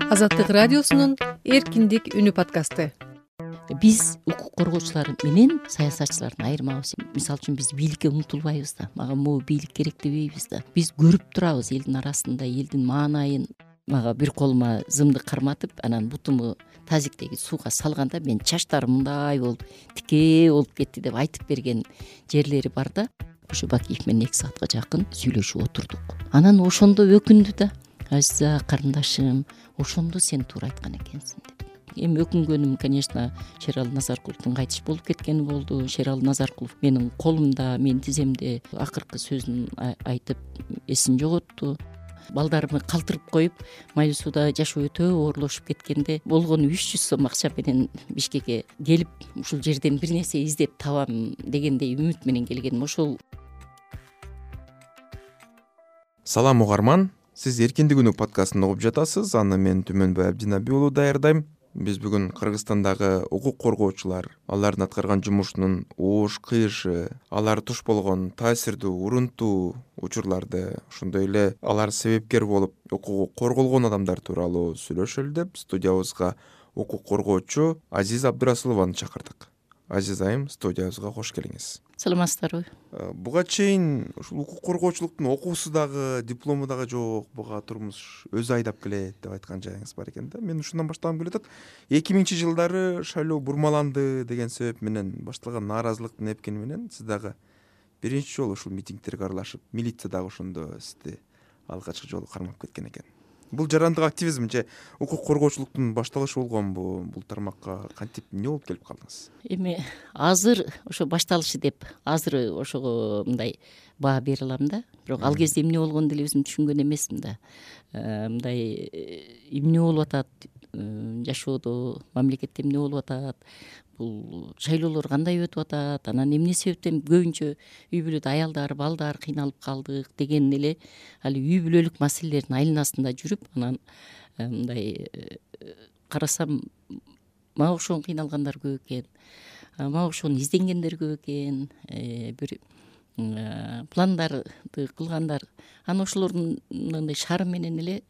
Азаттык радиосунун эркиндик үнү подкасты. Биз укук коргоочулар менен саясатчылардын айырмабыз. Мисалы үчүн биз бийликке умтулбайбыз да. Мага могу бийлик керек дебейбиз да. Биз көрүп турабыз элдин арасында элдин маанайын. Мага бир колума зымды карматып, анан бутуму тазиктеги сууга салганда мен чачтарым мындай болуп, тикээ болуп кетти деп айтып берген жерлери бар да. Ошо Бакиев менен 2 саатка жакын сүйлөшүп отурдук. Анан ошондо өкүндү да. Азиза карындашым, ошондо сен туура айткан экенсиң деп. Эми өкүнгөнүм, конечно, Шерали Назаркуловдун кайтыш болуп кеткени болду. Шерали Назаркулов менин колумда, менин тиземде акыркы сөзүн айтып эсин жоготту. Балдарымы калтырып коюп, Майлуу сууда жашоо өтө оорлошуп кеткенде болгону 300 сом акча менен Бишкекке келип, ушул жерден бир нерсе издеп табам дегендей үмүт менен келгеним ошол. Салам угарман, сиз Эркиндик үнү подкастын угуп жатасыз. Аны мен Түмөнбай Абдинабий уулу даярдайм. Биз бүгүн Кыргызстандагы укук коргоочулар, алардын аткарган жумушунун оош кыйышы, алар туш болгон таасирдүү, урунтуу учурларды, ошондой эле алар себепкер болуп укугу корголгон адамдар тууралуу сүйлөшөлү деп студиябызга укук коргоочу Азиза Абдырасулованы чакырдык. Азиз айым, студиябызга кош келиңиз. Саламатсыздарбы? Буга чейин ушул укук коргоочулуктун окуусу дагы, диплому дагы жок, буга турмуш өзү айдап келет деп айткан жайыңыз бар экен да. Мен ушундан баштагым келип атат. 2000-жылдары шайлоо бурмаланды деген себеп менен башталган нааразылыктын эпкени менен сиз дагы биринчи жолу ушул митингтерге аралашып, милиция дагы ошондо сизди алгачкы жолу кармап кеткен экен. Бул жарандык активизм же укук коргоочулуктун башталышы болгонбу? Бул тармакка кантип эмне болуп келип калдыңыз? Эми азыр ошо башталышы деп азыр ошого мындай баа бере алам да. Бирок ал кезде эмне болгону деле өзүм түшүнгөн эмесмин да. Мындай эмне болуп атат жашоодо, мамлекетте эмне болуп атат, бул шайлоолор кандай өтүп атат, анан эмне себептен көбүнчө үй бүлөдө аялдар, балдар кыйналып калдык деген эле али үй бүлөлүк маселелердин айланасында жүрүп, анан мындай карасам мага окшогон кыйналгандар көп экен, мага окшогон изденгендер көп экен, бир пландарды кылгандар. Анан ошолордун мындай шары менен эле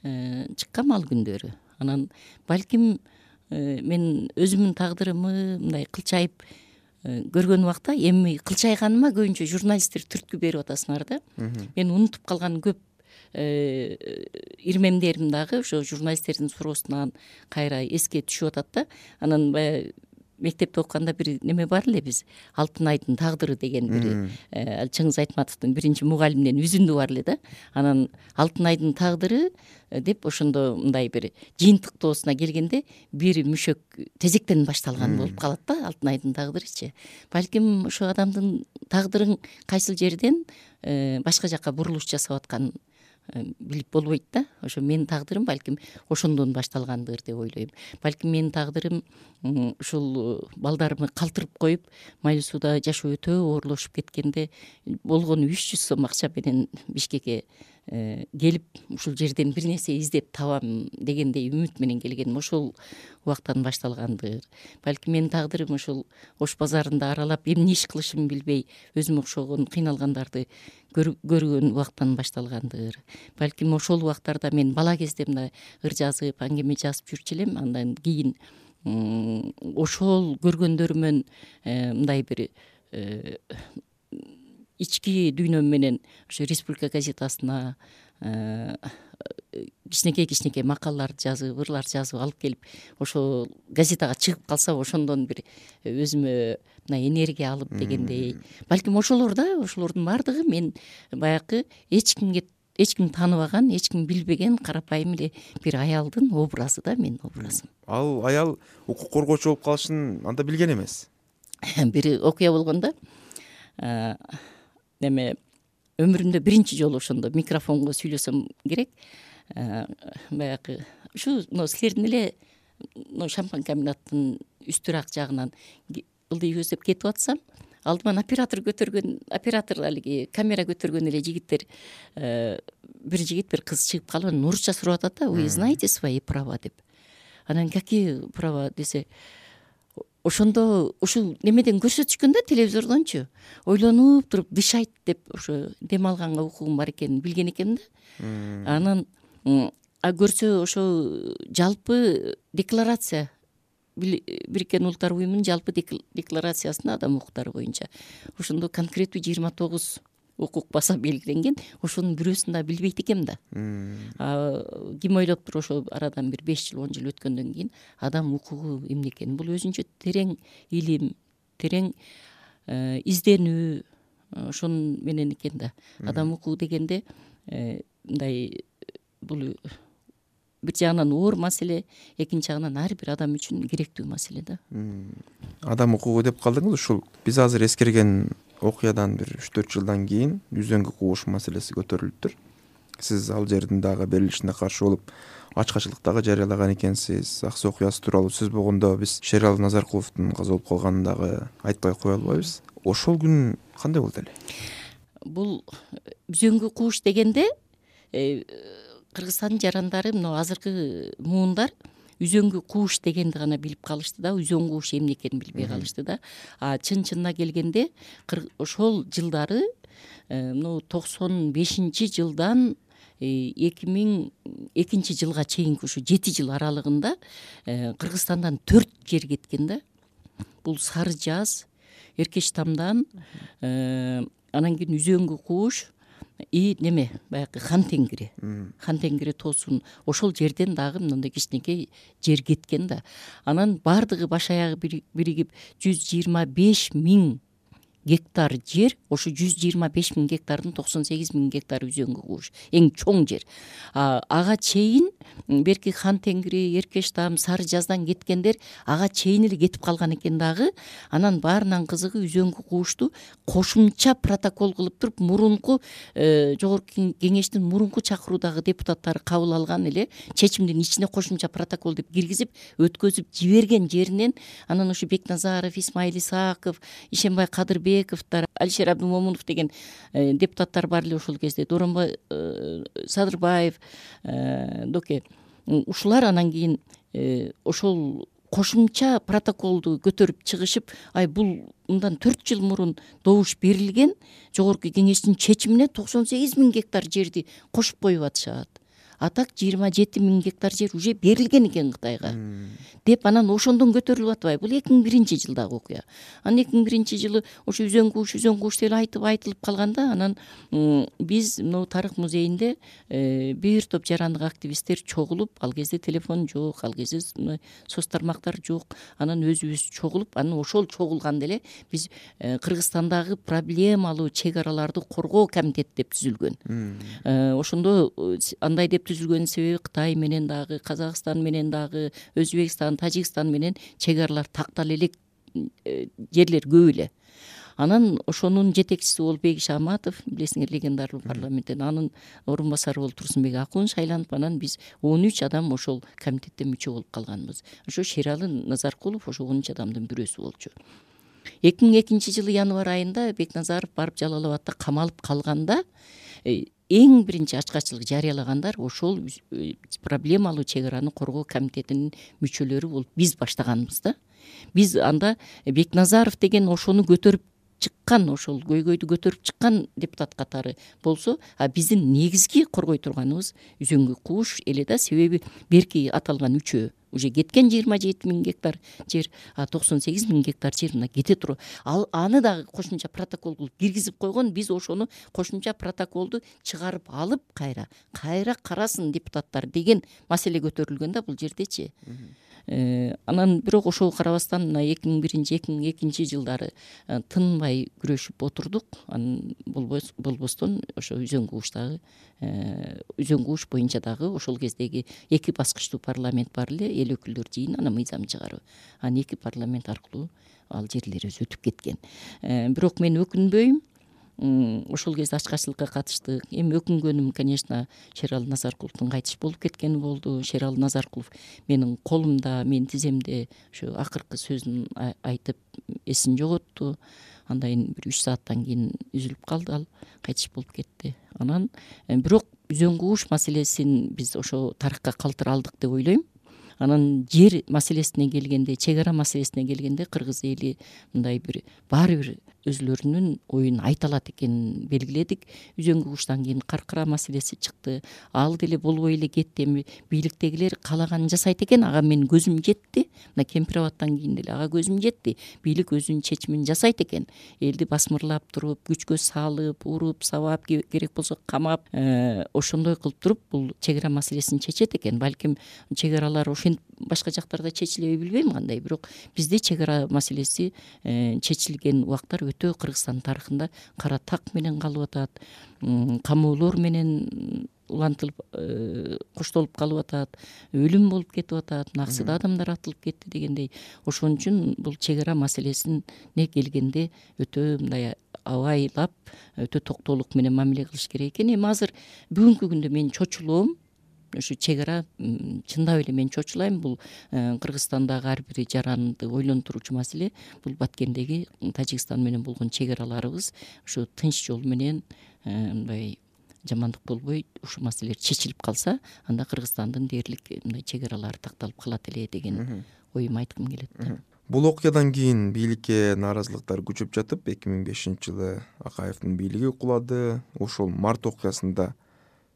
чыккам ал күндөрү. Анан балким мен өзүмдүн тагдырымы мындай кылчайып көргөн убакта эми кылчайганыма көбүнчө журналисттер түрткү берип атасыңар да. Мен унутуп калган көп ирмемдерим дагы ошо журналисттердин суроосунан кайра эске түшүп атат да. Анан баягы мектепте окуганда бир неме бар эле, биз Алтын айдын тагдыры деген бир Чыңгыз Айтматовдун биринчи мугалиминен үзүндү бар эле да. Анан Алтын айдын тагдыры деп ошондо мындай бир жыйынтыктоосуна келгенде бир мүшөк тезектен башталган болуп калат да, Алтын айдын тагдырычы. Балким ошо адамдын тагдырын кайсыл жерден башка жака бурулуш жасап атканын билип болбойт да. Ошо менин тагдырым балким ошондон башталгандыр деп ойлойм. Балким менин тагдырым ушул балдарымы калтырып коюп, Майлуу сууда жашоо өтө оорлошуп кеткенде болгону 300 сом акча менен Бишкекке келип, ушул жерден бир нерсе издеп табам дегендей үмүт менен келгеним ошол убактан башталгандыр. Балким менин тагдырым ошол Ош базарында аралап, эмне иш кылышымды билбей, өзүмө окшогон кыйналгандарды көргөн убактан башталгандыр. Балким ошол убактарда мен бала кезде мындай ыр жазып, аңгеме жазып жүрчү элем. Андан кийин ошол көргөндөрүмөн мындай бир ички дүйнөм менен ошо Республика газетасына кичинекей макалаларды жазып, ырлар жазып алып келип, ошо газетага чыгып калса ошондон бир өзүмө мына энергия алып дегендей. Балким ошолордун баардыгы мен баягы эч ким тааныбаган, эч ким билбеген карапайым эле бир аялдын образы да, менин образым. Ал аял укук коргоочу болуп калышын анда билген эмес. Бир окуя болгондо неме өмүрүмдө биринчи жолу ошондо микрофонго сүйлөсөм керек. Баягы ушу силердин эле шампан комбинаттын үстүрак жагынан ылдый көздөп кетип атсам, алдыман оператор алиги камера көтөргөн эле жигиттер, бир жигит бир кыз чыгып калып, анан орусча сурап атат да: "Вы знаете свои права?" деп. Анан какие права десе, ошондо ушул немеден көрсөтүшкөн да, телевизордончу. Ойлонуп туруп дышайт деп ошо дем алганга укугум бар экенин билген экенмин да. Анан көрсө ошо жалпы декларация Бириккен Улуттар Уюмунун жалпы декларациясында адам укуктары боюнча ошондо конкреттүү 29 укук баса белгиленген. Ошонун бирөөсүн да билбейт экенмин да. Ким ойлоптур ошо арадан бир 5 жыл 10 жыл өткөндөн кийин адам укугу эмне экенин, бул өзүнчө терең илим, терең изденүү ошонун менен экен да. Адам укугу дегенде мындай бул бир жагынан оор маселе, экинчи жагынан ар бир адам үчүн керектүү маселе да. Адам укугу деп калдыңыз, ушул биз азыр эскерген окуядан бир 3-4 жылдан кийин үзөңгү кууш маселеси көтөрүлүптүр. Сиз ал жердин дагы берилишине каршы болуп ачкачылык дагы жарыялаган экенсиз. Аксы окуясы тууралуу сөз болгондо биз Шералы Назаркуловдун каза болуп калганын дагы айтпай кое албайбыз. Ошол күн кандай болду эле? Бул үзөңгү кууш дегенде Кыргызстандын жарандары мына азыркы муундар үзөңгү кууш дегенди гана билип калышты да, үзөң кууш эмне экенин билбей калышты да. Чын-чынына келгенде ошол жылдары 95-жылдан 2002 жылга чейинки ушу 7 жыл аралыгында Кыргызстандан 4 жер кеткен да. Бул Сары Жаз, Эркечтамдан, анан кийин үзөңгү кууш неме баягы Хан Теңири тоосун ошол жерден дагы мындай кичинекей жер кеткен да. Анан бардыгы баш аягы биригип 125 000 гектар жер, ошо 125 000 гектардын 98 000 гектары үзөңгү кууш, эң чоң жер. Ага чейин берки Хан Теңири, Эркечтам, Сары Жаздан кеткендер ага чейин эле кетип калган экен дагы. Анан баарынан кызыгы үзөңгү куушту кошумча протокол кылып туруп мурунку жогорку кеңештин мурунку чакыруудагы депутаттары кабыл алган эле чечимдин ичине кошумча протокол деп киргизип өткөзүп жиберген жеринен анан ушу Бекназаров, Исмаил Исаков, Ишенбай Кадырбековдор, Алишер Абдымомунов деген депутаттар бар эле ошол кезде, Доронбай Садырбаев, Доке. Ушулар анан кийин ошол кошумча протоколду көтөрүп чыгышып, бул мындан 4 жыл мурун добуш берилген жогорку кеңештин чечимине 98 000 гектар жерди кошуп коюп атышат. А так 27 000 гектар жер уже берилген экен Кытайга деп анан ошондон көтөрүлүп атпайбы? Бул 2001 жылдагы окуя. Анан 2001 жылы ошо үзөң кууш деп айтылып калганда, анан биз мына тарых музейинде бир топ жарандык активисттер чогулуп, ал кезде телефон жок, ал кезде соц тармактар жок. Анан өзүбүз чогулуп, анан ошол чогулганда эле биз Кыргызстандагы проблемалуу чек араларды коргоо комитети деп түзүлгөн. Ошондо андай деп түзүлгөнүн себеби Кытай менен дагы, Казакстан менен дагы, Өзбекстан, Тажикстан менен чек аралар тактала элек жерлер көп эле. Анан ошонун жетекчиси болуп Бегиш Аматов, билесиңер, легендарлуу парламенттен, анын орун басары болуп Турсунбек Акун шайланып, анан биз 13 адам ошол комитетте мүчө болуп калганбыз. Ошо Шералы Назаркулов ошо 13 адамдын бирөөсү болчу. 2002 жылы январь айында Бекназаров барып Жалал Абадта камалып калганда эң биринчи ачкачылык жарыялагандар ошол проблемалуу чек араны коргоо комитетинин мүчөлөрү болуп биз баштаганбыз да. Биз анда Бекназаров деген ошону көтөрүп чыккан, ошол көйгөйдү көтөрүп чыккан депутат катары болсо, биздин негизги коргой турганыбыз үзөңгү кууш эле да. Себеби берки аталган үчөө уже кеткен 27 000 гектар жер, 98 000 гектар жер мына кете туруп, аны дагы кошумча протокол кылып киргизип койгон. Биз ошону кошумча протоколду чыгарып алып кайра карасын депутаттар деген маселе көтөрүлгөн да бул жердечи. Анан бирок ошого карабастан мына 2001-2002 жылдары тынбай күрөшүп отурдук. Анан болбостон ошо үзөң кууштагы үзөң кууш боюнча дагы ошол кездеги 2 баскычтуу парламент бар эле, эл өкүлдөр жыйын, анан мыйзам чыгаруу. Анан 2 парламент аркылуу ал жерлер өзү өтүп кеткен. Бирок мен өкүнбөйм. Ошол кезде ачкачылыкка катыштык. Эми өкүнгөнүм, конечно, Шералы Назаркуловдун кайтыш болуп кеткени болду. Шералы Назаркулов менин колумда, менин тиземде ошо акыркы сөзүн айтып эсин жоготту. Андан бир 3 сааттан кийин үзүлүп калды, ал кайтыш болуп кетти. Анан бирок үзөң кууш маселесин биз ошо тарыхка калтыра алдык деп ойлойм. Анан жер маселесине келгенде, чек ара маселесине келгенде кыргыз эли мындай бир баары бир өзүлөрүнүн оюн айта алат экенин белгиледик. Үзөңгү куштан кийин каркыра маселеси чыкты. Ал деле болбой эле кетти. Эми бийликтегилер каалаганын жасайт экен. Ага менин көзүм жетти. Мына Кемпир абадтан кийин деле ага көзүм жетти. Бийлик өзүнүн чечимин жасайт экен. Элди басмырлап туруп, күчкө салып, уруп, сабап, керек болсо камап, ошондой кылып туруп бул чек ара маселесин чечет экен. Балким чек аралар ошентип башка жактарда чечилеби билбейм кандай, бирок бизде чек ара маселеси чечилген убактар өтө Кыргызстан тарыхында кара так менен калып атат, камоолор менен улантылып коштолуп калып атат, өлүм болуп кетип атат, наксыда адамдар атылып кетти дегендей. Ошон үчүн бул чек ара маселесине келгенде өтө мындай абайлап, өтө токтоолук менен мамиле кылыш керек экен. Эми азыр бүгүнкү күндө мен чочулоом ушу чек ара, чындап эле мен чочулайм. Бул Кыргызстандагы ар бир жаранды ойлонтуруучу маселе. Бул Баткендеги Тажикстан менен болгон чек араларыбыз ушу тынч жол менен мындай жамандык болбой ушул маселелер чечилип калса, анда Кыргызстандын дээрлик мындай чек аралары такталып калат эле деген оюмду айткым келет да. Бул окуядан кийин бийликке нааразылыктар күчөп жатып, 2005-жылы Акаевдин бийлиги кулады. Ошол март окуясында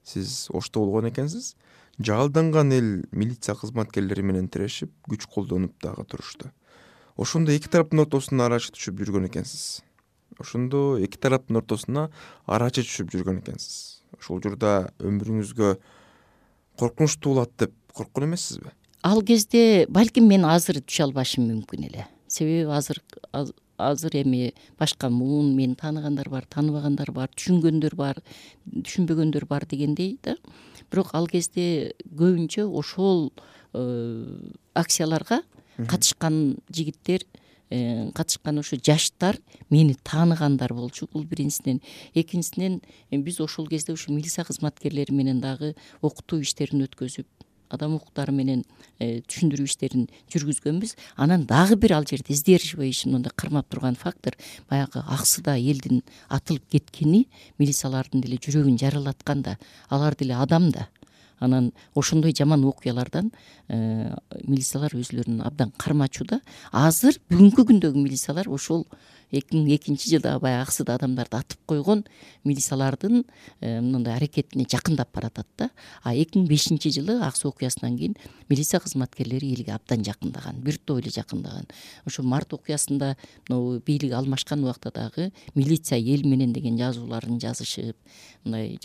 сиз Ошто болгон экенсиз. Жаалданган эл милиция кызматкерлери менен тирешип, күч колдонуп дагы турушту. Ошондо эки тараптын ортосуна арачы түшүп жүргөн экенсиз. Ошол учурда өмүрүңүзгө коркунуч туулат деп корккон эмессизби? Ал кезде балким мен азыр түшө албашым мүмкүн эле. Себеби азыр эми башка муун мени тааныгандар бар, тааныбагандар бар, түшүнгөндөр бар, түшүнбөгөндөр бар дегендей да. Бирок ал кезде көбүнчө ошол акцияларга катышкан жигиттер, катышкан ошо жаштар мени тааныгандар болчу. Бул биринчисинен. Экинчисинен биз ошол кезде ушу милиция кызматкерлери менен дагы окутуу иштерин өткөзүп, адам укуктары менен түшүндүрүү иштерин жүргүзгөнбүз. Анан дагы бир ал жерде сдерживающий, мындай кармап турган фактор баягы аксыда элдин атылып кеткени милициялардын деле жүрөгүн жаралаткан да, алар деле адам да. Анан ошондой жаман окуялардан милициялар өзүлөрүн абдан кармачу да. Азыр бүгүнкү күндөгү милициялар ошол 2002-жылда баягы аксыда адамдарды атып койгон милициялардын мындай аракетине жакындап баратат да. А 2005-жылы Ак Суу окуясынан кийин милиция кызматкерлери элге абдан жакындаган, бир топ эле жакындаган. Ошо март окуясында могу бийлик алмашкан убакта дагы милиция эл менен деген жазууларын жазышып, мындай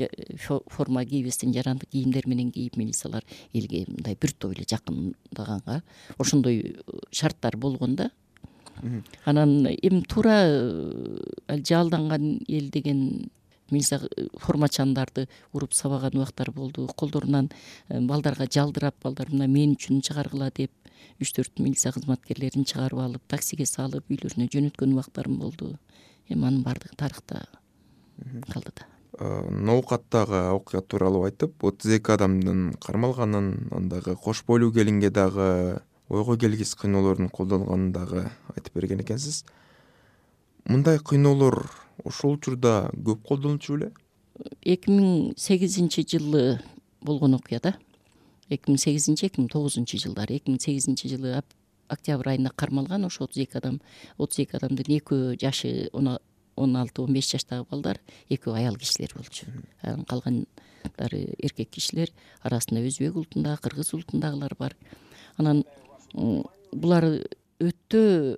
форма кийбестен жарандык кийимдер менен кийип милициялар элге мындай бир топ эле жакындаганга ошондой шарттар болгон да. Анан эми туура жаалданган эл деген милиция формачандарды уруп сабаган убактар болду. Колдорунан балдарга жалдырап, балдар мына мен үчүн чыгаргыла деп 3-4 милиция кызматкерлерин чыгарып алып, таксиге салып, үйлөрүнө жөнөткөн убактарым болду. Эми анын баардыгы тарыхта калды да. Ноокаттагы окуя тууралуу айтып, 32 адамдын кармалганын, андагы кош бойлуу келинге дагы ойго келгис кыйноолордун колдонулганын дагы айтып берген экенсиз. Мындай кыйноолор ошол учурда көп колдонулчу беле? 2008-жылы болгон окуя да. 2008-2009 жылдары. 2008-жылы октябрь айында кармалган ошо 32 адам. 32 адамдын экөө жашы 16-15 жаштагы балдар, экөө аял кишилер болчу. Калгандары эркек кишилер, арасында өзбек улутундагы, кыргыз улутундагылар бар. Анан булар өтө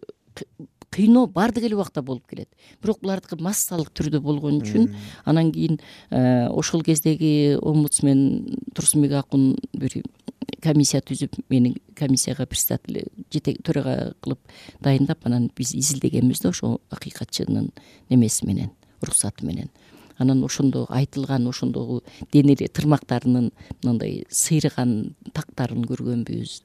кыйноо баардык эле убакта болуп келет. Бирок булардыкы массалык түрдө болгон үчүн анан кийин ошол кездеги омбудсмен Турсунбек Акун бир комиссия түзүп, мени комиссияга председатель төрага кылып дайындап, анан биз изилдегенбиз да ошо акыйкатчынын немеси менен, уруксаты менен. Анан ошондо айтылган, ошондогу денели тырмактарынын мындай сыйрыган тактарын көргөнбүз,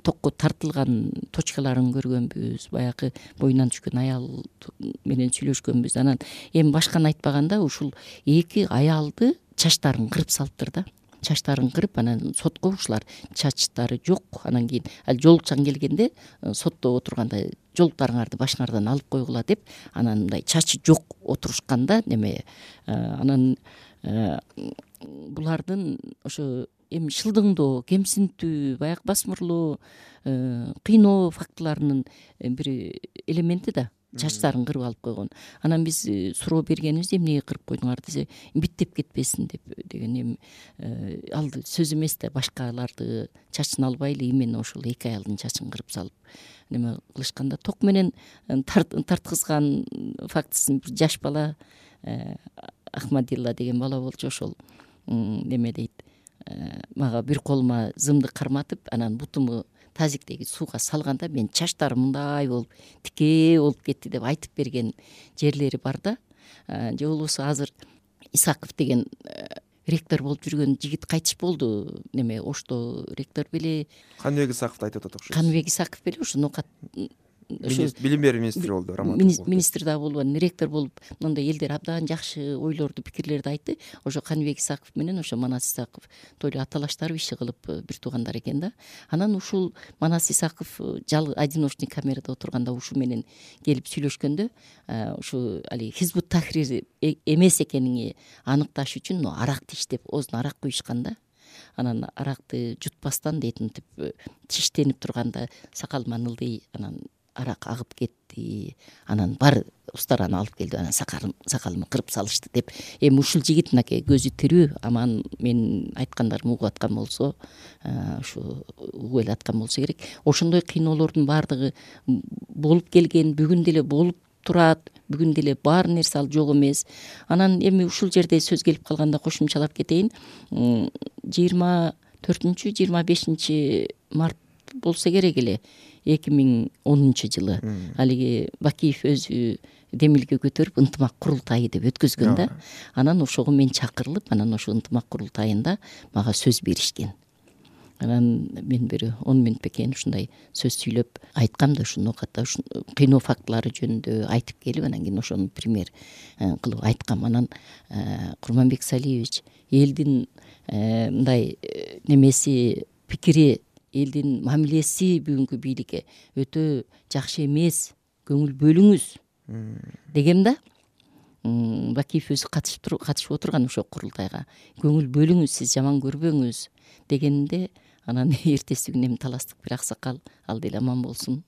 токко тартылган точкаларын көргөнбүз, баягы боюнан түшкөн аял менен сүйлөшкөнбүз. Анан эми башканы айтпаганда ушул эки аялды чачтарын кырып салыптыр да. Чачтарын кырып, анан сотко ушулар чачтары жок. Анан кийин жолукчан келгенде сотто отурганда жолуктарыңарды башыңардан алып койгула деп, анан мындай чачы жок отурушканда неме. Анан булардын ошо эми шылдыңдоо, кемсинтүү, баягы басмырлоо, кыйноо фактыларынын бир элементи да. чачтарын кырып алып койгон. Анан биз суроо бергенибизде эмнеге кырып койдуңар десе, биттеп кетпесин деген эми ал сөз эмес да, башкаларды чачын албайлы именно ошол эки аялдын чачын кырып салып неме кылышканда ток менен тарткызган фактысын бир жаш бала, Ахмадилла деген бала болчу, ошол неме дейт, мага бир колума зымды карматып, анан бутуму тазиктеги сууга салганда мен чачтарым мындай болуп тикээ болуп кетти деп айтып берген жерлери бар да. Же болбосо азыр Исаков деген ректор болуп жүргөн жигит кайтыш болду, неме Ошто ректор беле, Каныбек Исаковду айтып атат окшойт. Каныбек Исаков беле ушу ноокат Билим берүү министри болду, министр да болуп, ректор болуп, мындай элдер абдан жакшы ойлорду, пикирлерди айтты. Ошо Каныбек Исаков менен ошо Манас Исаков тойло аталаштар иши кылып бир туугандар экен да. Анан ушул Манас Исаков одиночный камерада отурганда ушу менен келип сүйлөшкөндө, ушу али Хизбут Тахрир эмес экениңи аныкташ үчүн аракты иштеп, оозуна арак куйушкан да. Анан аракты жутпастан дейт, мынтип тиштенип турганда сакалыман ылдый, анан арак агып кетти. Анан бар устараны алып келди, анан сакалымы кырып салышты деп. Эми ушул жигит мынакей көзү тирүү, аман мен айткандарымды угуп аткан болсо, ушу угуп эле аткан болсо керек. Ошондой кыйноолордун баардыгы болуп келген, бүгүн деле болуп турат, бүгүн деле бар нерсе ал жок эмес. Анан эми ушул жерде сөз келип калганда кошумчалап кетейин. 24-25 март болсо керек эле, 2010 жылы алиги Бакиев өзү демилге көтөрүп ынтымак курултайы деп өткөзгөн да. Анан ошого мен чакырылып, анан ошол ынтымак курултайында мага сөз беришкен. Анан мен бир 10 мүнөт бекен ушундай сөз сүйлөп айткам да, ушуну ката кыйноо фактылары жөнүндө айтып келип, анан кийин ошону пример кылып айткам. Анан Курманбек Салиевич элдин мындай немеси, пикири, элдин мамилеси бүгүнкү бийликке өтө жакшы эмес, көңүл бөлүңүз дегем да. Бакиев өзү катышып отурган ошол курултайга. Көңүл бөлүңүз, сиз жаман көрбөңүз дегенде, анан эртеси күнү эми таластык бир аксакал, ал деле аман болсун,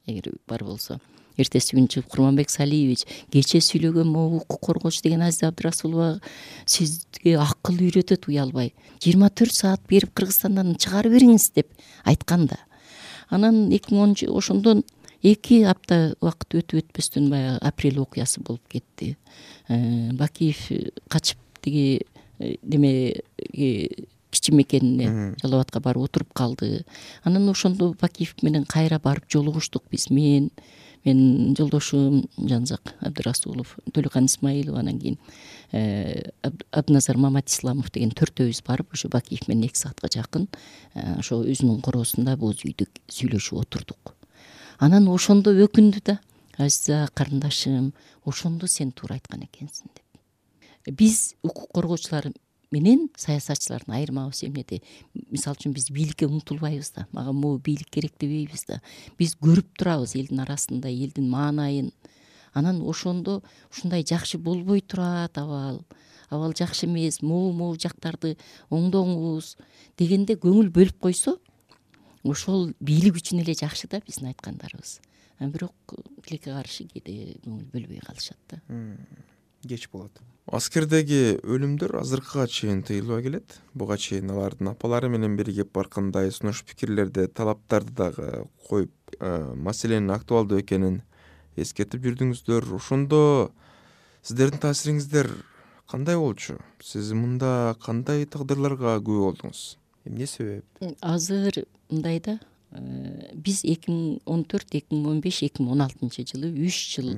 эгер бар болсо. Эртеси күнү чыгып Курманбек Салиевич, кечээ сүйлөгөн могу укук коргоочу деген Азиза Абдрасулова сизге акыл үйрөтөт уялбай. 24 саат берип Кыргызстандан чыгарып бериңиз деп айткан да. Анан 2010 ошондон 2 апта убакыт өтпөстөн баягы апрель окуясы болуп кетти. Бакиев качып тиги немеге кичи мекенине, Жалал Абадка барып отуруп калды. Анан ошондо Бакиев менен кайра барып жолугуштук биз. Мен жолдошум Жанзак Абдрасулов, Төлөкан Исмаилова, анан кийин Абдназар Маматисламов деген төртөөбүз барып, ошо Бакиев менен 2 саатка жакын ошо өзүнүн короосунда боз үйдө сүйлөшүп отурдук. Анан ошондо өкүндү да, Азиза карындашым, ошондо сен туура айткан экенсиң деп. Биз укук коргоочулар менен саясатчылардын айырмабыз эмнеде? Мисалы үчүн биз бийликке умтулбайбыз да, мага могу бийлик керек дебейбиз да. Биз көрүп турабыз элдин арасында элдин маанайын. Анан ошондо ушундай жакшы болбой турат абал жакшы эмес, могу жактарды оңдоңуз дегенде көңүл бөлүп койсо, ошол бийлик үчүн эле жакшы да биздин айткандарыбыз. Бирок тилекке каршы кээде көңүл бөлбөй калышат да. Кеч болот. Аскердеги өлүмдөр азыркыга чейин тыйылбай келет. Буга чейин алардын апалары менен биригип баркандай сунуш пикирлерди, талаптарды дагы коюп, маселенин актуалдуу экенин эскертип жүрдүңүздөр. Ошондо сиздердин таасириңиздер кандай болчу? Сиз мында кандай тагдырларга күбө болдуңуз? Эмне себеп? Азыр мындай да, биз 2014, 2015, 2016 жылы 3 жыл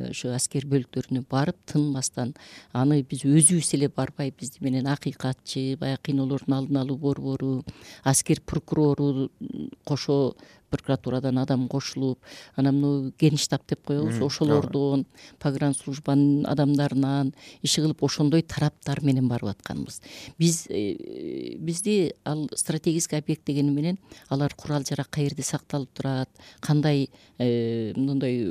ошо аскер бөлүктөрүнө барып тынбастан, аны биз өзүбүз эле барбай, бизди менен акыйкатчы, баягы кыйноолордун алдын алуу борбору, аскер прокурору кошо прокуратурадан адам кошулуп, анан мына генштаб деп коебуз, ошолордон, погранслужбанын адамдарынан иши кылып, ошондой тараптар менен барып атканбыз. Бизди ал стратегический объект дегени менен алар курал жарак каерде сакталып турат, кандай мындай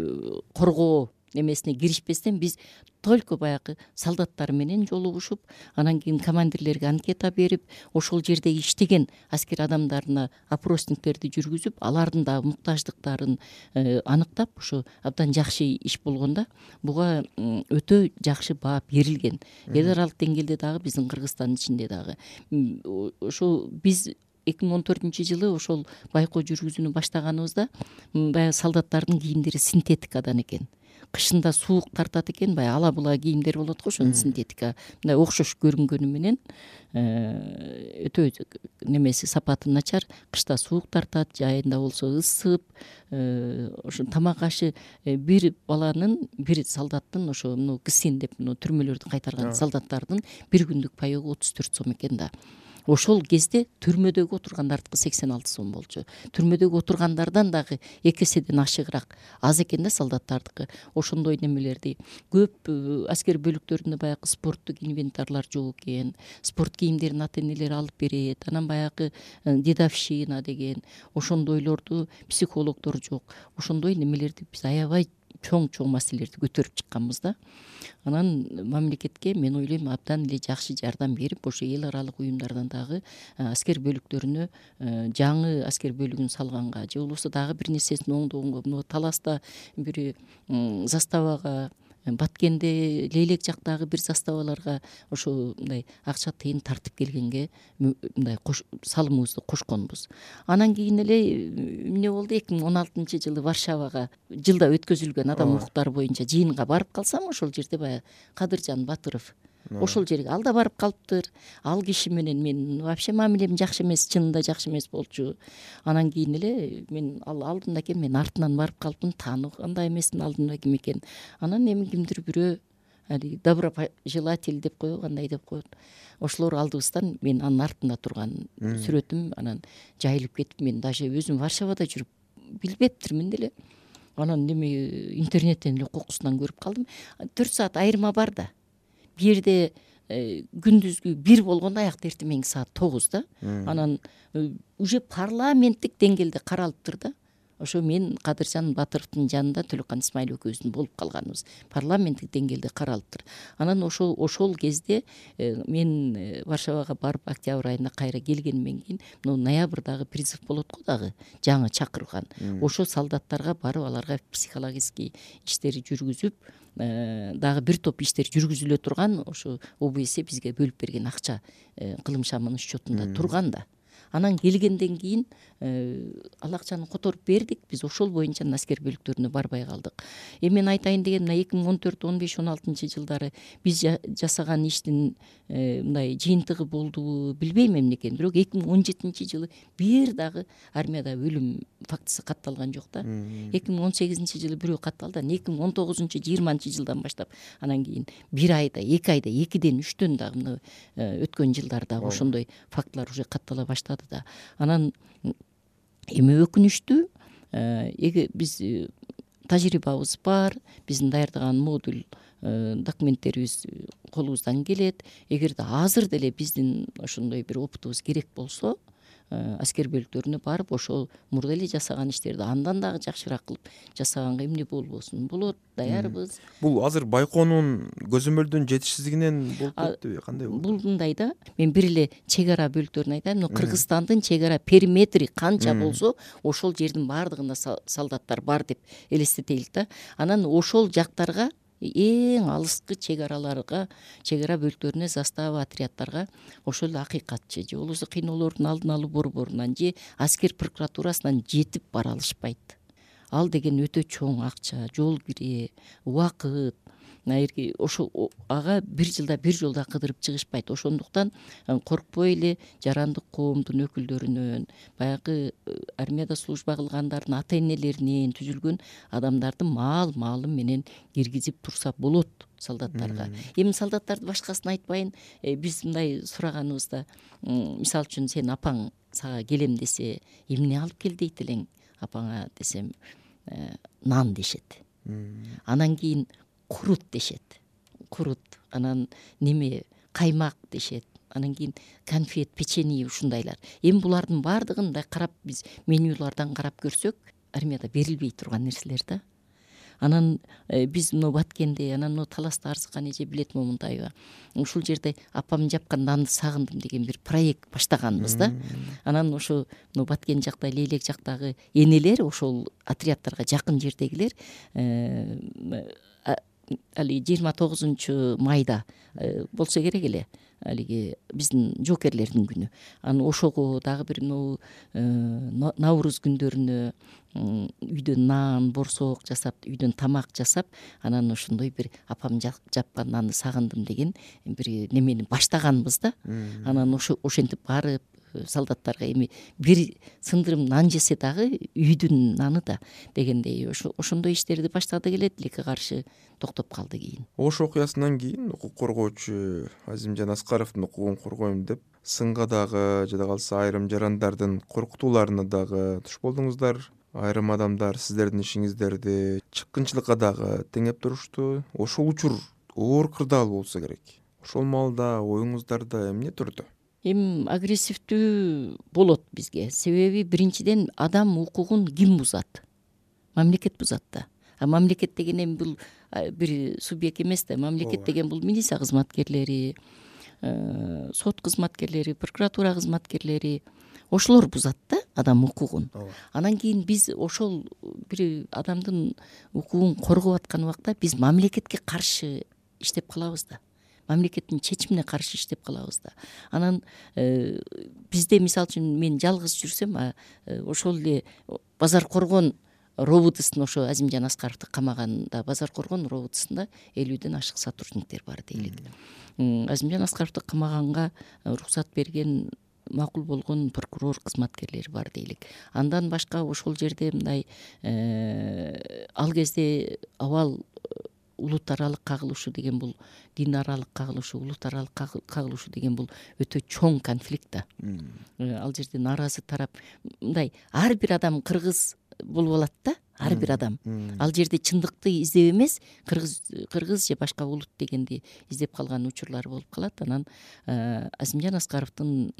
коргоо немесине киришпестен биз только баягы солдаттар менен жолугушуп, анан кийин командирлерге анкета берип, ошол жердеги иштеген аскер адамдарына опросниктерди жүргүзүп, алардын дагы муктаждыктарын аныктап, ошо абдан жакшы иш болгондо буга өтө жакшы баа берилген. Эл аралык деңгээлде дагы биздин Кыргызстандын ичинде дагы ошол биз 2014-жылы ошол байкоо жүргүзүүнү баштаганыбызда баягы солдаттардын кийимдери синтетикадан экен. Кышында суук тартат экен, баягы ала була кийимдер болот го, ошонун синтетика мындай окшош көрүнгөнү менен өтө немеси сапаты начар, кышта суук тартат, жайында болсо ысып, ошо тамак ашы бир баланын, бир солдаттын ошо ГСИН деп түрмөлөрдү кайтарган солдаттардын бир күндүк паёгу 34 сом экен да. Ошол кезде түрмөдөгү отургандардыкы 86 сом болчу. Түрмөдөгү отургандардан дагы 2 эседен ашыгыраак аз экен да солдаттардыкы. Ошондой немелерди көп аскер бөлүктөрүндө баягы спорттук инвентарлар жок экен. Спорт кийимдерин ата-энелер алып берет. Анан баягы дедовщина деген ошондойлорду психологдор жок. Ошондой немелерди биз аябай чоң маселелерди көтөрүп чыкканбыз да. Анан мамлекетке мен ойлойм абдан эле жакшы жардам берип, ошо эл аралык уюмдардан дагы аскер бөлүктөрүнө жаңы аскер бөлүгүн салганга же болбосо дагы бир нерсесин оңдогонго, Таласта бир заставага, Баткенде, Лейлек жактагы бир заставаларга ошо мындай акча тыйын тартып келгенге мындай салымыбызды кошконбуз. Анан кийин эле эмне болду? 2016-жылы Варшавага жылда өткөзүлгөн адам укуктары боюнча жыйынга барып калсам, ошол жерде баягы Кадыржан Батыров ошол жерге ал да барып калыптыр. Ал киши менен мен вообще мамилем жакшы эмес, чынында жакшы эмес болчу. Анан кийин эле мен ал алдында экен, мен артынан барып калыптым, тааныгандай эмесмин алдында ким экен. Анан эми кимдир бирөө доброжелатель деп коебу, кандай деп коет. Ошолор алдыбыздан мен анын артында турган сүрөтүм анан жайылып кетип, мен даже өзүм Варшавада жүрүп билбептирмин деле. Анан неме интернеттен эле кокусунан көрүп калдым. 4 саат айырма бар да. Бир жерде күндүзгү 1 болгондо аякта эртең саат 9 Анан уже парламенттик деңгээлде каралыптыр да. Ошо мен Кадыржан Батыровдун жанында Төлөккан Исмаил экөөбүздүн болуп калганыбыз парламенттик деңгээлде каралыптыр. Анан ошол кезде мен Варшавага барып октябрь айында кайра келгенден кийин ноябрдагы призыв болот го дагы, жаңы чакырылган. Ошо солдаттарга барып аларга психологический иштери жүргүзүп, дагы бир топ иштер жүргүзүлө турган, ошо ОБС бизге бөлүп берген акча кылым шамынын счетунда турган да. Анан келгенден кийин ал акчаны которуп бердик. Биз ошол боюнча аскер бөлүктөрүнө барбай калдык. Мен айтайын деген, 2014, 15, 16 жылдары биз жасаган иштин мындай жыйынтыгы болдубу билбейм эмне экенин. Бирок 2017-жылы бир дагы армияда өлүм фактысы катталган жок да. 2018-жылы бирөө катталды. 2019-20 жылдан баштап анан кийин 1 айда, 2 айда, 2ден 3төн дагы өткөн жылдарда ошондой фактылар уже каттала баштады да. Анан эми өкүнүчтүү, биз тажрыйбабыз бар, биздин даярдаган модуль документтерибиз колубуздан келет. Эгерде азыр деле биздин ошондой бир опытыбыз керек болсо, аскер бөлүктөрүнө барып ошол мурда эле жасаган иштерди андан дагы жакшыраак кылып жасаганга эмне болбосун, болот, даярбыз. Бул азыр байкоонун көзөмөлдөн жетишсиздигинен болуп кетпиби, кандай болду? Бул мындай да, мен бир эле чек ара бөлүктөрүн айтайын. Кыргызстандын чек ара периметри канча болсо, ошол жердин баардыгында солдаттар бар деп элестетелик да. Анан ошол жактарга, эң алыскы чек араларга, чек ара бөлүктөрүнө, застава, отрядтарга ошол эле акыйкатчы же болбосо кыйноолордун алдын алуу борборунан же аскер прокуратурасынан жетип бара алышпайт. Ал деген өтө чоң акча, жол кирээ, убакыт. Ошо ага бир жылда бир жолдо кыдырып чыгышпайт. Ошондуктан коркпой эле жарандык коомдун өкүлдөрүнөн, баягы армияда служба кылгандардын ата-энелеринен түзүлгөн адамдардын маалым менен киргизип турса болот солдаттарга. Эми солдаттарды башкасын айтпайын, биз мындай сураганыбызда, мисалы үчүн сен апаң сага келем десе, эмне алып кел дейт элең апаңа десем, нан дешет. Анан кийин курут дешет. Курут, анан неме, каймак дешет. Анан кийин конфет, печенье ушундайлар. Эми булардын баардыгын карап, биз менюлардан карап көрсөк, армияда берилбей турган нерселер да. Анан биз мына Баткенде, анан мына Таласта Арзыкан эже билет Момунтаева, ушул жерде апам жапкан нанды сагындым деген бир проект баштаганбыз да. Анан ошо мына Баткен жакта, Лейлек жактагы энелер, ошол отрядтарга жакын жердегилер алиги 29 майда болсо керек эле, алиги биздин жоокерлердин күнү. Анан ошого дагы бир Навруз күндөрүнө үйдөн нан, борсок жасап, үйдөн тамак жасап, анан ошондой бир апам жапкан нанды сагындым деген бир немени баштаганбыз да. Анан ошентип барып солдаттарга эми бир сындырым нан жесе дагы үйдүн наны да дегендей ошондой иштерди баштадык эле, тилекке каршы токтоп калды кийин. Ош окуясынан кийин укук коргоочу Азимжан Аскаровдун укугун коргойм деп сынга дагы, жада калса айрым жарандардын коркутууларына дагы туш болдуңуздар. Айрым адамдар сиздердин ишиңиздерди чыккынчылыкка дагы теңеп турушту. Ошол учур оор кырдаал болсо керек. Ошол маалда оюңуздарда эмне турду? Эми агрессивдүү болот бизге. Себеби биринчиден адам укугун ким бузат? Мамлекет бузат да. А мамлекет деген эми бул бир субъект эмес да. Мамлекет деген бул милиция кызматкерлери, сот кызматкерлери, прокуратура кызматкерлери, ошолор бузат да адам укугун. Анан кийин биз ошол бир адамдын укугун коргоп аткан убакта биз мамлекетке каршы иштеп калабыз да. Мамлекеттин чечимине каршы иштеп калабыз да. Анан бизде мисалы үчүн мен жалгыз жүрсөм, ошол эле Базар Коргон робутусун ошо Азимжан Аскаровду камаганда Базар Коргон робутусунда 50ден ашык сотрудниктер бар дейлик. Азимжан Аскаровду камаганга уруксат берген, макул болгон прокурор кызматкерлери бар дейлик. Андан башка ошол жерде мындай ал кезде абал улут аралык кагылышуу деген бул, дин аралык кагылышуу, улут аралык кагылышуу деген бул өтө чоң конфликт да. Ал жерде нааразы тарап мындай ар бир адам кыргыз болуп алат да, ар бир адам. Ал жерде чындыкты издеп эмес, кыргыз же башка улут дегенди издеп калган учурлар болуп калат. Анан Азимжан Аскаровдун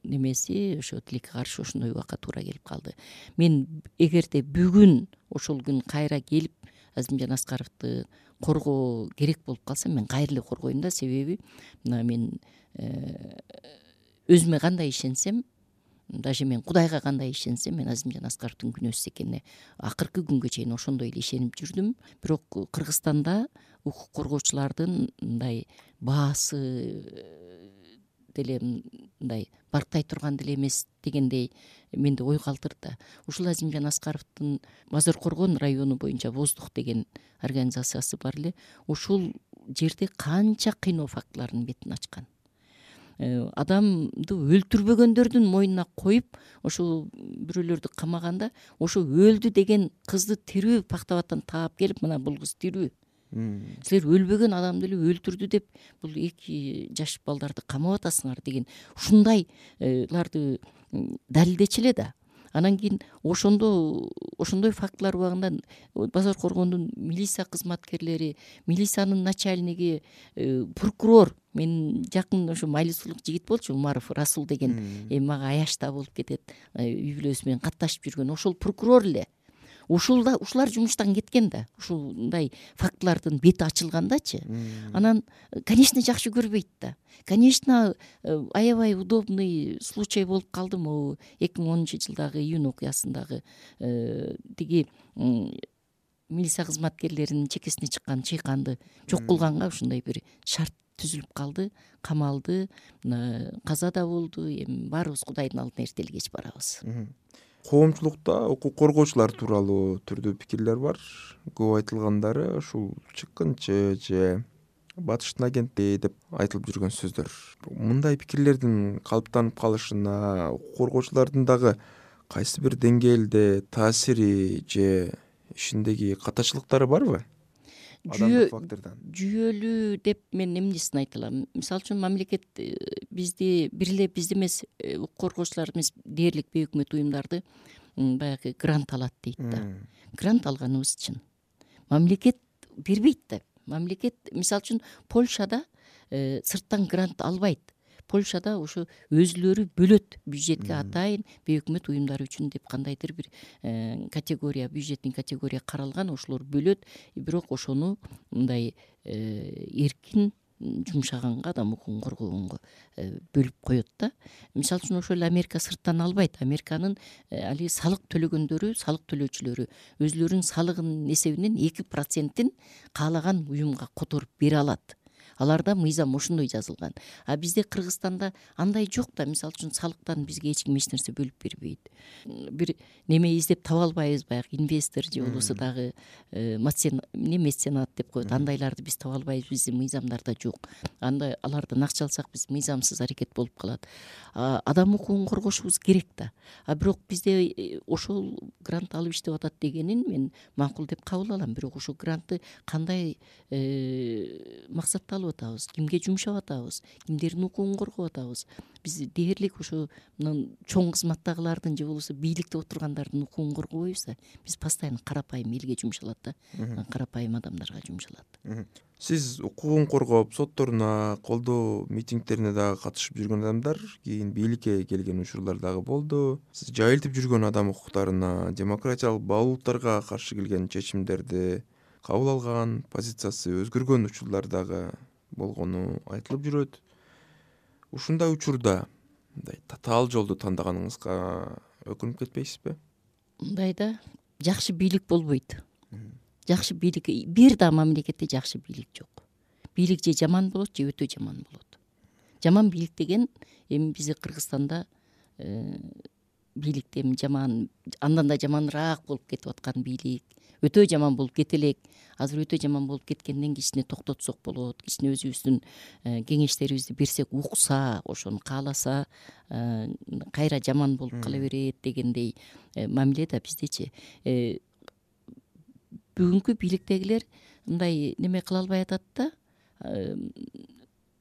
немеси ошо тилекке каршы ошондой убакка туура келип калды. Мен эгерде бүгүн ошол күн кайра келип Азимжан Аскаровду коргоо керек болуп калса, мен кайра эле коргойм да. Себеби мына мен өзүмө кандай ишенсем, даже мен Кудайга кандай ишенсем, мен Азимжан Аскаровдун күнөөсүз экенине акыркы күнгө чейин ошондой эле ишенип жүрдүм. Бирок Кыргызстанда укук коргоочулардын мындай баасы деле мындай барктай турган деле эмес дегендей менде ой калтырды. Ушул Азимжан Аскаровдун Базар Коргон району боюнча Воздух деген организациясы бар эле. Ушул жерде канча кыйноо фактыларынын бетин ачкан. Адамды өлтүрбөгөндөрдүн мойнуна коюп, ошол бирөөлөрдү камаганда, ошо өлдү деген кызды тирүү Пактабаттан таап келип, мына бул кыз тирүү. Силер өлбөгөн адамды эле өлтүрдү деп, бул 2 жаш балдарды камап атасыңар деген ушундайларды далилдечи эле да. Анан кийин ошондой фактылар убагында Базар Коргондун милиция кызматкерлери, милициянын начальниги, прокурор, мен жакын ошо майлысуулук жигит болчу, Умаров Расул деген, эми мага аячта болуп кетет, үй бүлөсү менен катташып жүргөн ошол прокурор эле. Ушулар жумуштан кеткен да. Ушундай фактылардын бети ачылгандачы. Анан, конечно, жакшы көрбөйт да. Конечно, аябай удобный случай болуп калды могу 2010-жылдагы июнь окуясындагы тиги милиция кызматкерлеринин чекесине чыккан чыйканды жок кылганга ушундай бир шарт түзүлүп калды, камалды, каза да болду. Эми баарыбыз Кудайдын алдына эртели кеч барабыз. Коомчулукта укук коргоочулар тууралуу түрдүү пикирлер бар. Көп айтылгандары ушул чыккынчы же батыштын агенти деп айтылып жүргөн сөздөр. Мындай пикирлердин калыптанып калышына укук коргоочулардын дагы кайсы бир деңгээлде таасири же ишиндеги катачылыктары барбы? Адамдык фактордон. Жүйөлүү деп мен эмнесин айта алам? Мисалы үчүн мамлекет бизди бир эле бизди эмес, укук коргоочулар эмес, дээрлик бейөкмөт уюмдарды баягы грант алат дейт да. Грант алганыбыз чын. Мамлекет бербейт да. Мамлекет, мисалы үчүн, Польшада сырттан грант албайт. Польшада ошо өзүлөрү бөлөт бюджетке атайын бейөкмөт уюмдар үчүн деп кандайдыр бир категория, бюджеттин категория каралган, ошолор бөлөт. Бирок ошону мындай эркин жумшаганга, адам укугун коргогонго бөлүп коет да. Мисалы үчүн ошол эле Америка сырттан албайт. Американын алиги салык төлөгөндөрү, салык төлөөчүлөрү өзүлөрүнүн салыгынын эсебинен 2%-ин каалаган уюмга которуп бере алат. Аларда мыйзам ошондой жазылган. А бизде Кыргызстанда андай жок да. Мисалы үчүн салыктан бизге эч ким эч нерсе бөлүп бербейт. Бир неме издеп таба албайбыз, баягы инвестор же болбосо дагы меценат деп коет. Андайларды биз таба албайбыз, биздин мыйзамдарда жок. Андай алардан акча алсак биз мыйзамсыз аракет болуп калат. Адам укугун коргошубуз керек да. А бирок бизде ошол грант алып иштеп атат дегенин мен макул деп кабыл алам. Бирок ошол грантты кандай максатта алып атабыз, кимге жумшап атабыз, кимдердин укугун коргоп атабыз. Биз дээрлик ошо чоң кызматтагылардын же болбосо бийликте отургандардын укугун коргобойбуз да. Биз постоянно карапайым элге жумшалат да. Карапайым адамдарга жумшалат. Сиз укугун коргоп, сотторуна, колдоо митингдерине дагы катышып жүргөн адамдар, кийин бийликке келген учурлар дагы болду. Сиз жайылтып жүргөн адам укуктарына, демократиялык баалуулуктарга каршы келген чечимдерди кабыл алган, позициясы өзгөргөн учурлар дагы болгону айтылып жүрөт. Ушундай учурда мындай татаал жолду тандаганыңызга өкүнүп кетпейсизби? Мындайда жакшы бийлик болбойт. Жакшы бийлик, бир да мамлекетте жакшы бийлик жок. Бийлик же жаман болот, же өтө жаман болот. Жаман бийлик деген эми бизде Кыргызстанда бийликте жаман, андан да жаманыраак болуп кетип аткан бийлик, өтө жаман болуп кете элек. Азыр өтө жаман болуп кеткенден кичине токтотсок болот, кичине өзүбүздүн кеңештерибизди берсек, укса, ошону кааласа, кайра жаман болуп кала берет дегендей мамиле да биздечи. Бүгүнкү бийликтегилер мындай неме кыла албай атат да,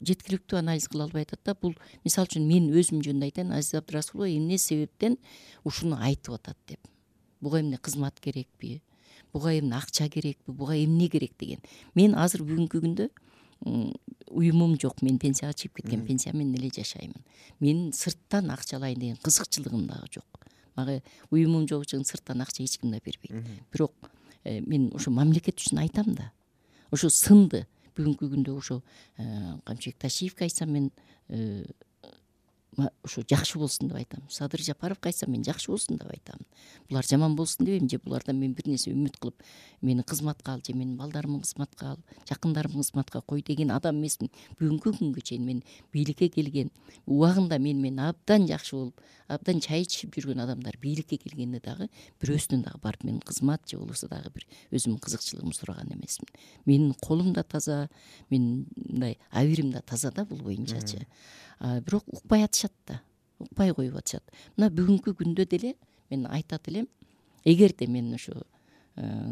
жеткиликтүү анализ кыла албай атат да. Бул мисалы үчүн мен өзүм жөнүндө айтайын, Азиз Абдырасулова эмне себептен ушуну айтып атат деп. Буга эмне кызмат керекпи? Буга эмне акча керекпи? Буга эмне керек деген. Мен азыр бүгүнкү күндө уюмум жок. Мен пенсияга чыгып кеткен, пенсия менен эле жашаймын. Мен сырттан акча алайын деген кызыкчылыгым дагы жок. Мага уюмум жок үчүн сырттан акча эч ким да бербейт. Бирок мен ошо мамлекет үчүн айтам да. Ошо сынды. Бүгүнкү күндө ошо Камчыбек Ташиевге айтсам мен ошо жакшы болсун деп айтам. Садыр Жапаровго айтсам мен жакшы болсун деп айтам. Булар жаман болсун дебейм, же булардан мен бир нерсе үмүт кылып, мени кызматка ал, же менин балдарымды кызматка ал, жакындарымды кызматка кой деген адам эмесмин. Бүгүнкү күнгө чейин мен бийликке келген убагында мен абдан жакшы болуп, абдан чай ичип жүргөн адамдар бийликке келгенде дагы бирөөсүнөн дагы барып мен кызмат же болбосо дагы бир өзүмдүн кызыкчылыгымды сураган эмесмин. Менин колум да таза, менин мындай абийирим да таза да, бул боюнчачы. Бирок укпай атышат да, укпай коюп атышат. Мына бүгүнкү күндө деле мен айтат элем, эгерде мен ошо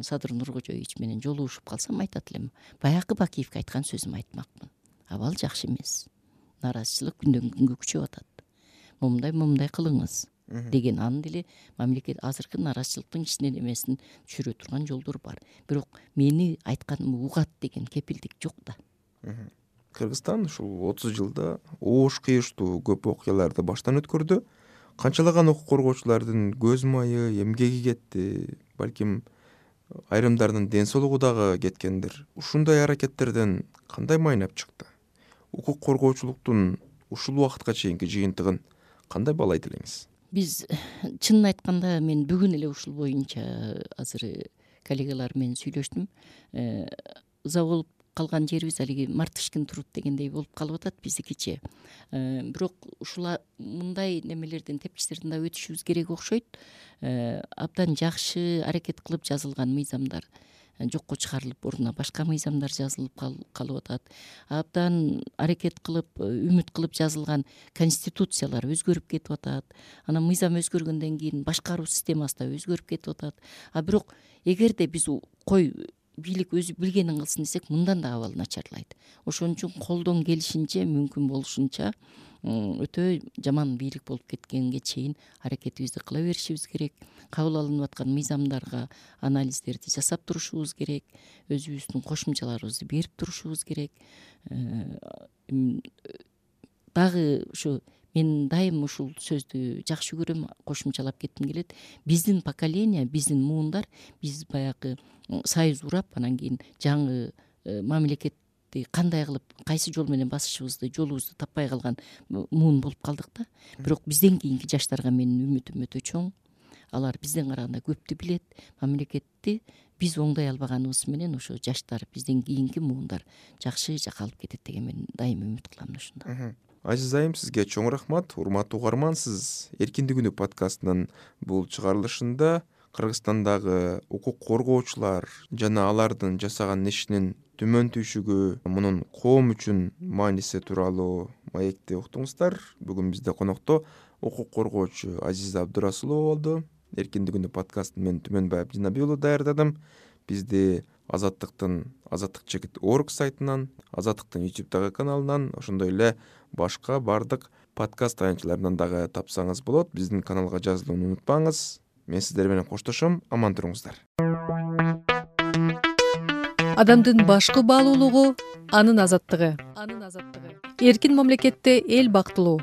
Садыр Нуркожоевич менен жолугушуп калсам, айтат элем, баягы Бакиевге айткан сөзүмдү айтмакмын. Абал жакшы эмес. Нааразычылык күндөн күнгө күчөп атат. Момундай кылыңыз деген анын деле мамлекет азыркы нааразычылыктын кичине немесин түшүрө турган жолдор бар. Бирок мени айтканымды угат деген кепилдик жок да. Кыргызстан ушул 30 жылда оош кыйыштуу көп окуяларды баштан өткөрдү. Канчалаган укук коргоочулардын көз майы, эмгеги кетти, балким айрымдарынын ден соолугу дагы кеткендир. Ушундай аракеттерден кандай майнап чыкты? Укук коргоочулуктун ушул убакытка чейинки жыйынтыгын кандай баалайт элеңиз? Биз чынын айтканда мен бүгүн эле ушул боюнча азыр коллегалар менен сүйлөштүм. Ыза болуп калган жерибиз алиги Мартышкин труд дегендей болуп калып атат биздикичи. Бирок ушул мындай немелерден, тепкичтерден да өтүшүбүз керек окшойт. Абдан жакшы аракет кылып жазылган мыйзамдар жокко чыгарылып, ордуна башка мыйзамдар жазылып калып атат. Абдан аракет кылып, үмүт кылып жазылган конституциялар өзгөрүп кетип атат. Анан мыйзам өзгөргөндөн кийин башкаруу системасы да өзгөрүп кетип атат. Бирок эгерде биз бийлик өзү билгенин кылсын десек, мындан да абал начарлайт. Ошон үчүн колдон келишинче, мүмкүн болушунча өтө жаман бийлик болуп кеткенге чейин аракетибизди кыла беришибиз керек. Кабыл алынып аткан мыйзамдарга анализдерди жасап турушубуз керек. Өзүбүздүн кошумчаларыбызды берип турушубуз керек. дагы ушу мен дайым ушул сөздү жакшы көрөм, кошумчалап кетким келет. Биздин поколение, биздин муундар, биз баягы союз урап анан кийин жаңы мамлекетти кандай кылып, кайсы жол менен басышыбызды, жолубузду таппай калган муун болуп калдык да. Бирок бизден кийинки жаштарга менин үмүтүм өтө чоң. Алар бизден караганда көптү билет. Мамлекетти биз оңдой албаганыбыз менен ошо жаштар, бизден кийинки муундар жакшы жакка алып кетет деген мен дайым үмүт кылам ушунда. Азиз айым, сизге чоң рахмат. Урматтуу угарман, сиз Эркиндик үнү подкастынын бул чыгарылышында Кыргызстандагы укук коргоочулар жана алардын жасаган ишинин төмөн түйшүгү, мунун коом үчүн мааниси тууралуу маекти уктуңуздар. Бүгүн бизде конокто укук коргоочу Азиза Абдурасулова болду. Эркиндик үнү подкастын мен Түмөнбай Абдинабий уулу даярдадым. Бизди azatlyk.org сайтынан, Азаттыктын YouTube каналынан, ошондой эле башка бардык подкаст таянчыларынан дагы тапсаңыз болот. Биздин каналга жазылууну унутпаңыз. Мен сиздер менен коштошом. Аман туруңуздар. Адамдын башкы баалуулугу анын азаттыгы. Эркин мамлекетте эл бактылуу,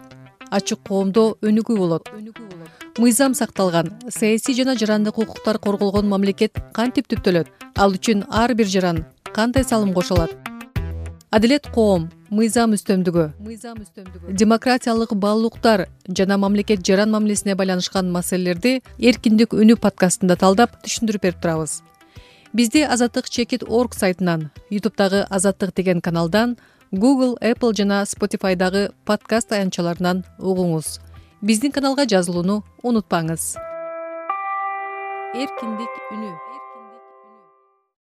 ачык коомдо өнүгүү болот. Мыйзам сакталган, саясий жана жарандык укуктар корголгон мамлекет кантип түптөлөт? Ал үчүн ар бир жаран кандай салым кошулат? Адилет коом, мыйзам үстөмдүгү, демократиялык баалуулуктар жана мамлекет жаран мамилесине байланышкан маселелерди Эркиндик үнү подкастында талдап түшүндүрүп берип турабыз. Бизди azatlyk.org сайтынан, YouTube'дагы Азаттык деген каналдан, Google, Apple жана Spotify'дагы подкаст таянчаларынан угуңуз. Биздин каналга жазылууну унутпаңыз. Эркиндик үнү.